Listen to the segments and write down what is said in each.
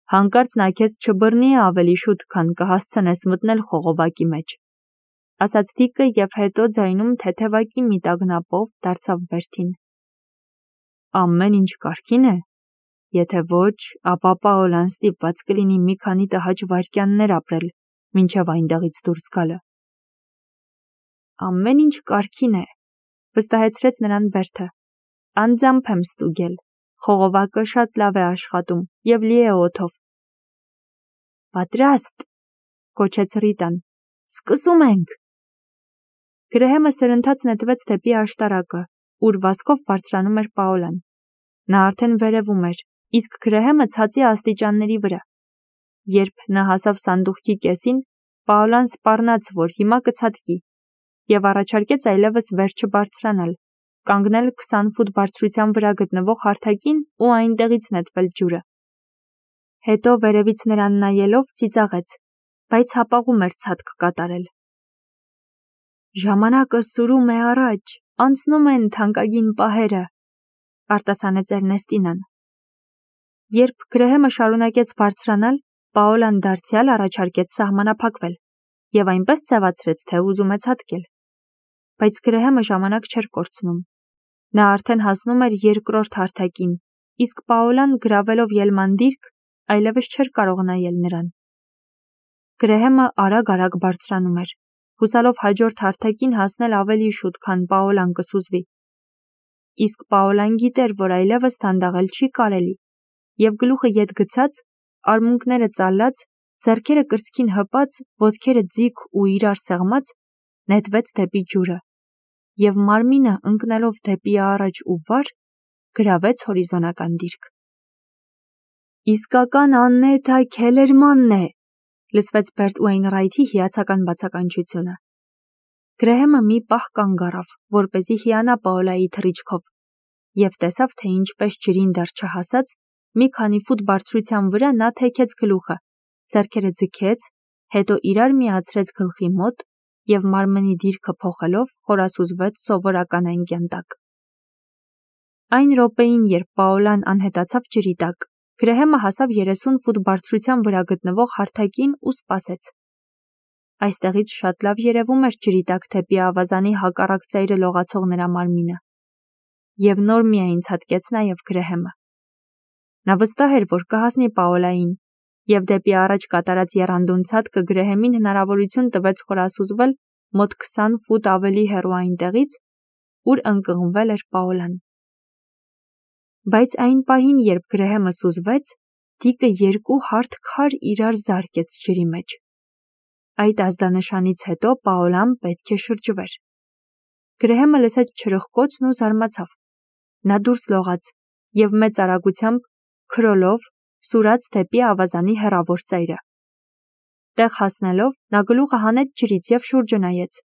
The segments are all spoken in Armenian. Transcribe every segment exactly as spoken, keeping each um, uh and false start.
Հանկարծ նա քեզ չբռնի ավելի շուտ, քան կհասցնես մտնել խողովակի մեջ, ասաց Դիկը և հետո ձայնում թեթևակի մի տագնապով դարձավ Բերթին. Ամեն ինչ կարգին է, եթե ոչ, ապա Պաոլան ստիպված կլինի մի քանի տհաճ վայրկյաններ ապրել, մինչև այնտեղից դուրս գալը։ Ամեն ինչ կարգին է, վստահեցրեց նրան Բերթը, անձամբ եմ ստուգել, խողովակը շատ լավ է աշխատում և լի է օդով։ Պատրաստ, կոչեց Ռիտան, սկսում ենք։ Գրեհեմը սրընթաց նետվեց դեպի աշտարակը, ուր վազքով բարձրանում էր Պաոլան։ Նա արդեն վերևում էր, իսկ Գրեհեմը ցածի աստիճանների վրա։ Երբ նա հասավ սանդուղքի կեսին, Պաոլան սպառնաց, որ հիմա կցատկի, և առաջարկեց այլևս վեր չբարձրանալ, կանգնել քսան ֆուտ բարձրության վրա գտնվող հարթակին ու այնտեղից նետվել ջուրը։ Հետո վերևից նրան նայելով ծիծաղեց, բայց հապաղում էր ցատկ կատարել։ Ժամանակը սուրում է առաջ, անցնում են թանկագին պահերը, արտասանեց Էրնեստինան։ Երբ Գրեհեմը շարունակեց բարձրանալ, Պաոլան դարձյալ առաջարկեց սահմանափակվել և այնպես ձևացրեց, թե ուզում է ցատկել։ Բայց Գրեհեմը ժամանակ չէր կորցնում։ Նա արդեն հասնում էր երկրորդ հարթակին, իսկ Պաոլան գրավելով ելման դիրք, այլևս չէր կարող նայել նրան։ Գրեհեմը արագ-արագ բարձրանում էր, հուսալով հաջորդ հարթակին հասնել ավելի շուտ, քան Պաոլան կսուզվի։ Իսկ Պաոլան գիտեր, որ այլևս դանդաղել չի կարելի, և գլուխը ետ գցած, արմունկները ծալած, ձեռքերը կրծքին հպած, ոտքերը ձիգ ու իրար սեղմած, նետվեց դեպի ջուրը, և մարմինը ընկնելով դեպի առաջ ու վար, գրավեց հորիզոնական դիրք։ Իսկական Աննետա Քելերմանն է, լսվեց Բերտ Ուեյնրայթի հիացական բացականչությունը։ Գրեհեմը մի պահ կանգ առավ, որպեսզի հիանա Պաոլայի թռիչքով, և տեսավ, թե ինչպես ջրին դեռ չհասած, մի քանի ֆուտ բարձրության վրա նա թեքեց գլուխը, ձեռքերը ձգեց, հետո իրար միացրեց գլխի մոտ և մարմնի դիրքը փոխելով խորասուզվեց սովորական անկյան տակ։ Այն րոպեին, երբ Պաոլան անհետացավ ջրի տակ, Գրեհեմը հասավ երեսուն ֆուտ բարձրության վրա գտնվող հարթակին ու սպասեց։ Այստեղից շատ լավ երևում էր ջրի տակ դեպի ավազանի հակառակ ծայրը լողացող նրա մարմինը։ Եվ նոր միայն ցատկեց նաև Գրեհեմը։ Նա վստահ էր, որ կհասնի Պաոլային, և դեպի առաջ կատարած եռանդուն ցատկը Գրեհեմին հնարավորություն տվեց խորասուզվել մոտ քսան ֆուտ ավելի հեռու այնտեղից, ուր ընկղմվել էր Պաոլան։ Բայց այն պահին, երբ Գրեհեմը սուզվեց, Դիկը երկու հարթ քար իրար զարկեց ջրի մեջ։ Այդ ազդանշանից հետո Պաոլան պետք է շրջվեր։ Գրեհեմը լսեց չրխկոցն ու զարմացավ։ Նա դուրս լողաց և մեծ արագությամբ, քրոլով, սուրաց դեպի ավազանի հեռավոր ծայրը։ Տեղ հասնելով, նա գլուխը հանեց ջրից և շուրջը նայեց։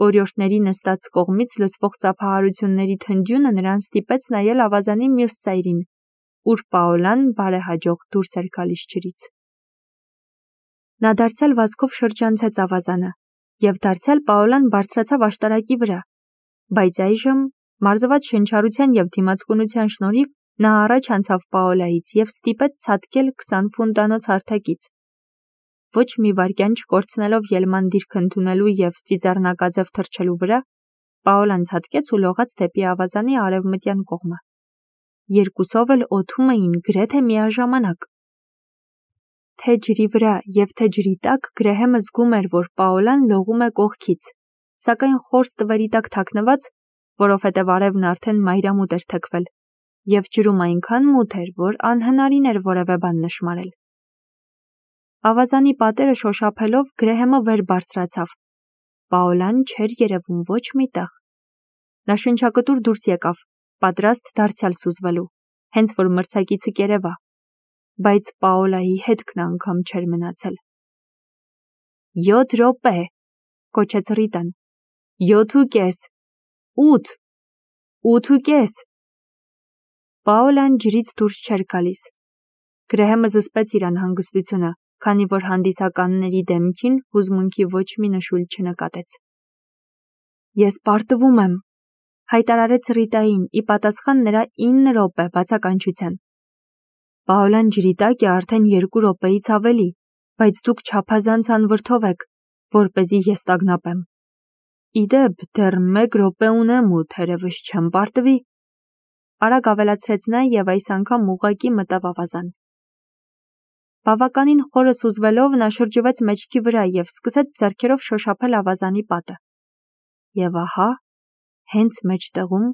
Օրիորդների նստած կողմից լսվող ծափահարությունների թնդյունը նրան ստիպեց նայել ավազանի մյուս ծայրին, ուր Պաոլան բարեհաջող դուրս էր գալիս ջրից։ Նա դարձյալ վազքով շրջանցեց ավազանը, և դարձյալ Պաոլան բարձրացավ աշտարակի վրա, բայց այժմ, մարզված շնչառության և դիմացկունության շնորհիվ, նա առաջ անցավ Պաոլայից և ստիպեց ցատկել քսան ֆուտանոց հարթակից։ Ոչ մի վայրկյան չկորցնելով ելման դիրք ընդունելու և ծիծեռնակաձև թռչելու վրա, Պաոլան ցատկեց ու լողաց դեպի ավազանի արևմտյան կողմը։ Երկուսով էլ օդում էին գրեթե միաժամանակ։ Թե ջրի վրա և թե ջրի տակ Գրեհեմը զգում էր, որ Պաոլան լողում է կողքից, սակայն խոր ստվերի տակ թաքնված, որովհետև արևն արդեն մայրամուտ էր թեքվել, և ջրում այնքան մութ էր, որ անհնարին էր որևէ բան նշմարել։ Ավազանի պատերը շոշափելով Գրեհեմը վեր բարձրացավ։ Պաոլան չէր երևում ոչ մի տեղ։ Նա շնչակտուր դուրս եկավ, պատրաստ դարձյալ սուզվելու, հենց որ մրցակիցը կերևա, բայց Պաոլայի հետքն անգամ չէր մնացել։ Յոթ րոպե, կոչեց Ռիտան։ Յոթ ու կես, ութ, ութ ու կես։ Պաոլան ջրից դուրս չէր գալիս։ Գրեհեմը զսպեց իր անհանգստությունը, քանի որ հանդիսականների դեմքին հուզմունքի ոչ մի նշույլ չնկատեց։ Ես պարտվում եմ, հայտարարեց Ռիտային ի պատասխան նրա ինը րոպե բացականչության։ Պաոլան ջրի տակ է արդեն երկու րոպեից ավելի, բայց դուք չափազանց անվրդով եք, որպեսզի ես տագնապեմ։ Իդեպ, դեռ մեկ րոպե ունեմ ու թերևս չեմ պարտվի։ Արագ ավելացրեց նա և այս անգամ ուղղակի մտավ ավազան։ Բավականին խորը սուզվելով նա շրջվեց մեջքի վրա և սկսեց ձեռքերով շոշափել ավազանի պատը։ Եվ ահա, հենց մեջտեղում,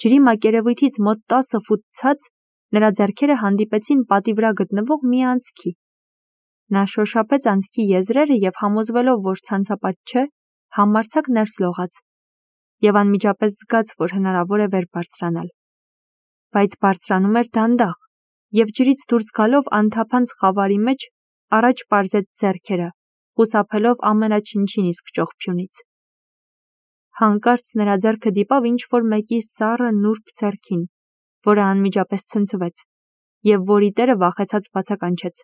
ջրի մակերևույթից մոտ տասը ֆուտ ցած, նրա ձեռքերը հանդիպեցին պատի վրա գտնվող մի անցքի։ Նա շոշափեց անցքի եզրերը և համոզվելով, որ ցանցապատ չէ, համարձակ ներս լողաց և անմիջապես զգաց, որ հնարավոր է վեր բարձրանալ։ Բայց բարձրանում էր դանդաղ, և ջրից դուրս գալով անթափանց խավարի մեջ առաջ պարզեց ձեռքերը, խուսափելով ամենաչնչին իսկ ճողփյունից։ Հանկարծ նրա ձեռքը դիպավ ինչ-որ մեկի սառը նուրբ ձեռքին, որը անմիջապես ցնցվեց, և որի տերը վախեցած բացականչեց։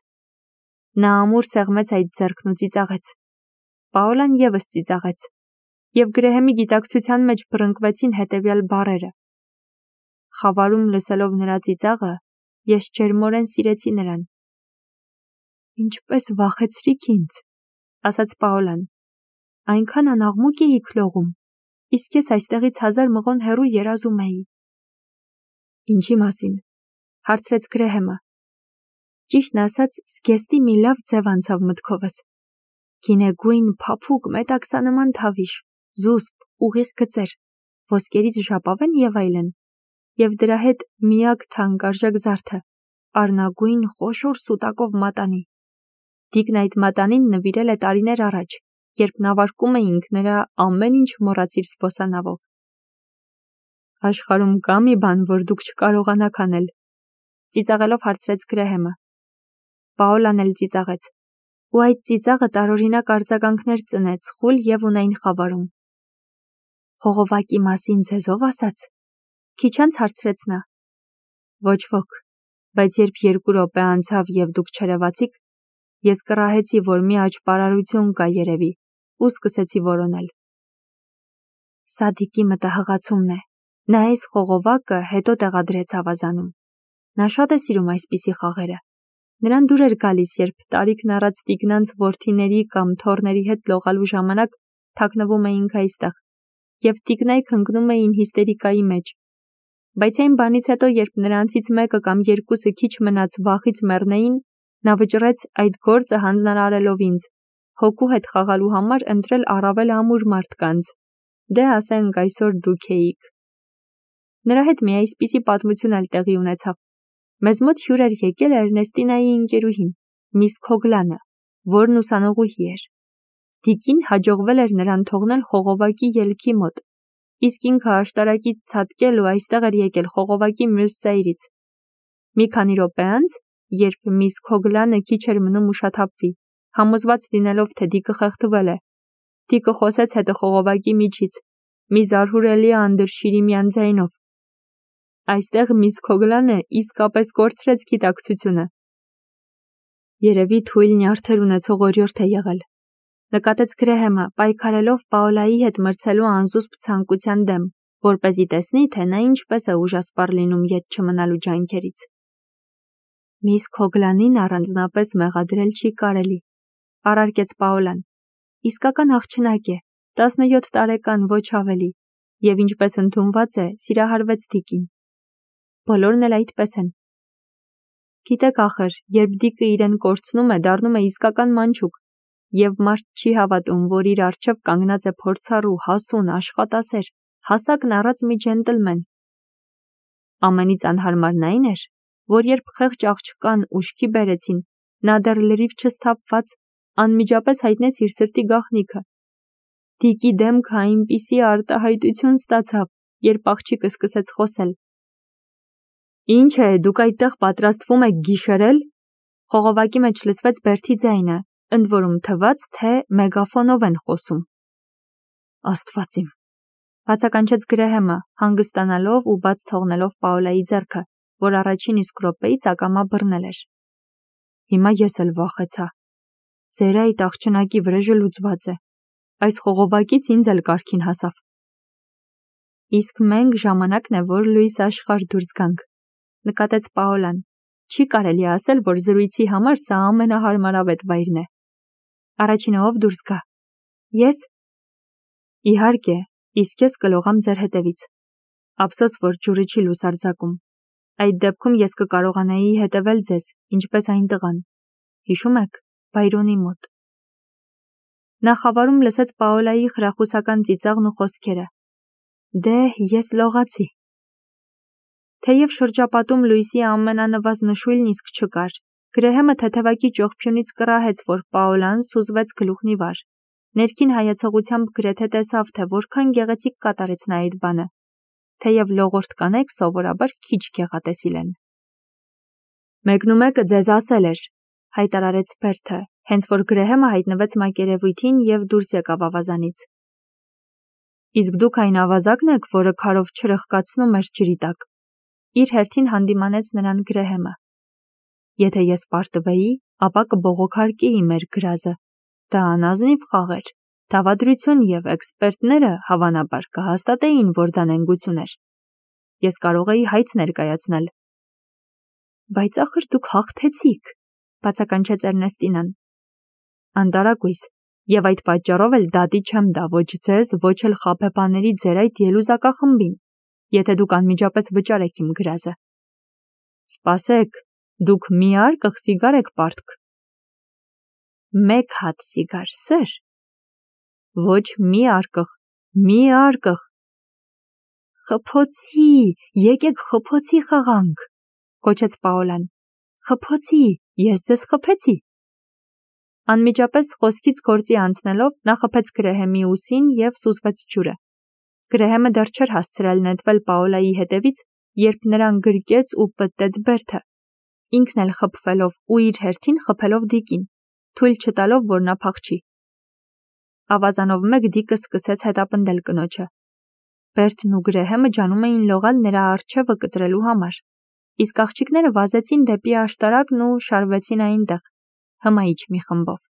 Նա ամուր սեղմեց այդ ձեռքն ու ծիծաղեց։ Պաոլան ևս ծիծաղեց, և Գրեհեմի գիտակցության մեջ բռնկվեցին հետևյալ բառերը. «Խավարում լսելով նրա ծիծաղը, ես ջերմորեն սիրեցի նրան»։ «Ինչպես վախեցրիք ինձ», ասաց Պաոլան։ «Այնքան անաղմուկ էիք լողում, իսկ ես այստեղից հազար մղոն հեռու երազում էի»։ «Ինչի մասին», հարցրեց Գրեհեմը։ Ճիշտն ասած, զգեստի մի լավ ձև անցավ մտքովս։ Գինեգույն, փափուկ, մետաքսանման թավիշ, զուսպ, ուղիղ գծեր, ոսկերից ժապավեն և այլն, և դրա հետ միակ թանկարժեք զարդը՝ առնագույն, խոշոր սուտակով մատանի։ Դիկն այդ մատանին նվիրել է տարիներ առաջ, երբ նավարկում էինք նրա ամեն ինչ մոռացիր զբոսանավով։ Աշխարհում կա մի բան, որ դուք չկարողանաք անել, ծիծաղելով հարցրեց Գրեհեմը։ Պաոլան էլ ծիծաղեց, ու այդ ծիծաղը տարօրինակ արձագանքներ ծնեց խուլ և ունայն խավարում։ Խողովակի մասին ձեզո՞վ ասաց, քիչ անց հարցրեց նա։ Ոչ ոք, բայց երբ երկու րոպե անցավ և դուք չերևացիք, ես կռահեցի, որ մի աճպարարություն կա երևի, ու սկսեցի որոնել։ Սա Դիկի մտահղացումն է, նա այս խողովակը հետո տեղադրեց ավազանում։ Նա շատ է սիրում այսպիսի խաղերը։ Նրան դուր էր գալիս, երբ տարիքն առած տիկնանց որդիների կամ թոռների հետ լողալու ժամանակ թաքնվում էինք այստեղ, և տիկնայք ընկնում էին հիստերիկայի մեջ։ Բայց այն բանից հետո, երբ նրանցից մեկը կամ երկուսը քիչ մնաց վախից մեռնեին, նա վճռեց այդ գործը հանձնարարելով ինձ, հոգու հետ խաղալու համար ընտրել առավել ամուր մարդկանց, դե ասենք այսօր դուք էիք։ Նրա հետ մի այսպիսի պատմություն էլ տեղի ունեցավ։ Մեզ մոտ հյուր էր եկել Էրնեստինայի ընկերուհին, միս Քոգլանը, որն ուսանողուհի էր։ Դիկին հաջողվել էր նրան թողնել խողովակի ելքի մոտ, իսկ ինքը աշտարակից ցատկել ու այստեղ էր եկել խողովակի մյուս ծայրից։ Մի քանի րոպե անց, երբ միս Քոգլանը քիչ էր մնում ուշաթափվի, համոզված լինելով, թե Դիկը խեղդվել է, Դիկը խոսեց հետը խողովակի միջից, մի զարհուրելի անդրշիրիմյան ձայնով։ Այստեղ միս Քոգլանը իսկապես կորցրեց գիտակցությունը։ Երևի թույլ նյարդեր ունեցող օրիորդ է եղել, նկատեց Գրեհեմը, պայքարելով Պաոլայի հետ մրցելու անզուսպ ցանկության դեմ, որպեսզի տեսնի, թե նա ինչպես է ուժասպառ լինում ետ չմնալու ջանքերից։ Միս Քոգլանին առանձնապես մեղադրել չի կարելի, առարկեց Պաոլան։ Իսկական աղջնակ է, տասնյոթ տարեկան, ոչ ավելի, և ինչպես ընդունված է, սիրահարվեց Դիկին։ Բոլորն էլ այդպես են։ Գիտեք ախր, երբ Դիկը իրեն կորցնում է, դառնում է իսկական մանչուկ, և մարդ չի հավատում, որ իր առջև կանգնած է փորձառու, հասուն, աշխատասեր, հասակն առած մի ջենտլմեն։ Ամենից անհարմարն այն էր, որ երբ խեղճ աղջկան ուշքի բերեցին, նա դեռ լրիվ չսթափված անմիջապես հայտնեց իր սրտի գաղտնիքը։ Դիկի դեմքը այնպիսի արտահայտություն ստացավ, երբ աղջիկը սկսեց խոսել։ Ինչ է, դուք այդտեղ պատրաստվում եք գիշերել։ Խողովակի մեջ լսվեց բերդի ձայնը, ընդ որում թվաց, թե մեգաֆոնով են խոսում։ Աստված իմ, բացականչեց Գրեհեմը, հանգստանալով ու բաց թողնելով Պաոլայի ձեռքը, որ առաջին իսկ րոպեից ակամա բռնել էր։ Հիմա ես էլ վախեցա։ Ձեր այդ աղջնակի վրեժը լուծված է։ Այս խողովակից ինձ էլ կարգին հասավ։ Իսկ մենք ժամանակն է, որ լույս աշխարհ դուրս գանք, նկատեց Պաոլան, Չի կարելի ասել, որ զրույցի համար սա ամենահարմարավետ վայրն է։ Առաջինը ով դուրս գա։ Ես։ Իհարկե, իսկ ես կլողամ ձեր հետևից։ Ափսոս, որ ջուրը չի լուսարձակում։ Այդ դեպքում ես կկարողանայի հետևել ձեզ, ինչպես այն տղան։ Հիշում եք, Բայրոնի մոտ։ Նա խավարում լսեց Պաոլայի խրախուսական ծիծաղն ու խոսքերը։ Դե, ես լողացի։ Թեև շրջապատում լույսի ամենանվազ նշույլն իսկ չկար, Գրեհեմը թեթևակի ճողփյունից կռահեց, որ Պաոլան սուզվեց գլուխն ի վար։ Ներքին հայեցողությամբ գրեթե տեսավ, թե որքան գեղեցիկ կատարեց նա այդ բանը, թեև լողորդ կանայք սովորաբար քիչ գեղատեսիլ են։ Մեկնումեկը ձեզ ասել էր, հայտարարեց Բերթը, հենց որ Գրեհեմը հայտնվեց մակերևույթին և դուրս եկավ ավազանից։ Իսկ դուք այն ավազակն եք, որը քարով չրխկացնում էր ջրի տակ։ Իր հերթին հանդիմանեց նրան Գրեհեմը։ Եթե ես պարտվեի, ապա կբողոքարկեի մեր գրազը։ Դա անազնիվ խաղ էր։ Դավադրություն և էքսպերտները հավանաբար կհաստատեին, որ դա նենգություն էր։ Ես կարող էի հայց ներկայացնել։ Բայց ախր դուք հաղթեցիք, բացականչեց Էրնեստինան։ Անտարակույս, և այդ պատճառով էլ դատի չեմ տա ոչ ձեզ, ոչ էլ խաբեբաների ձեր այդ ելուզակախմբին, եթե դուք անմիջապես վճարեք իմ գրազը։ Սպասեք, դուք մի արկղ սիգար եք պարտք։ Մեկ հատ սիգար, սեր։ Ոչ մի արկղ, մի արկղ։ Խփոցի, եկեք խփոցի խաղանք, կոչեց Պաոլան։ Խփոցի, ես ձեզ խփեցի։ Անմիջապես խոսքից գործի անցնելով նա խփեց Գրեհեմի ուսին և սուզվեց ջուրը։ Գրեհեմը դեռ չէր հասցրել նետվել Պաոլայի հետևից, երբ նրան գրկեց ու պտտեց Բերթը, ինքն էլ խփվելով ու իր հերթին խփելով Դիկին, թույլ չտալով, որ նա փախչի։ Ավազանով մեկ Դիկը սկսեց հետապնդել կնոջը։ Բերթն ու Գրեհեմը ջանում էին լողալ նրա առջևը կտրելու համար, իսկ աղջիկները վազեցին դեպի աշտարակն ու շարվեցին այնտեղ, հմայիչ մի խմբով։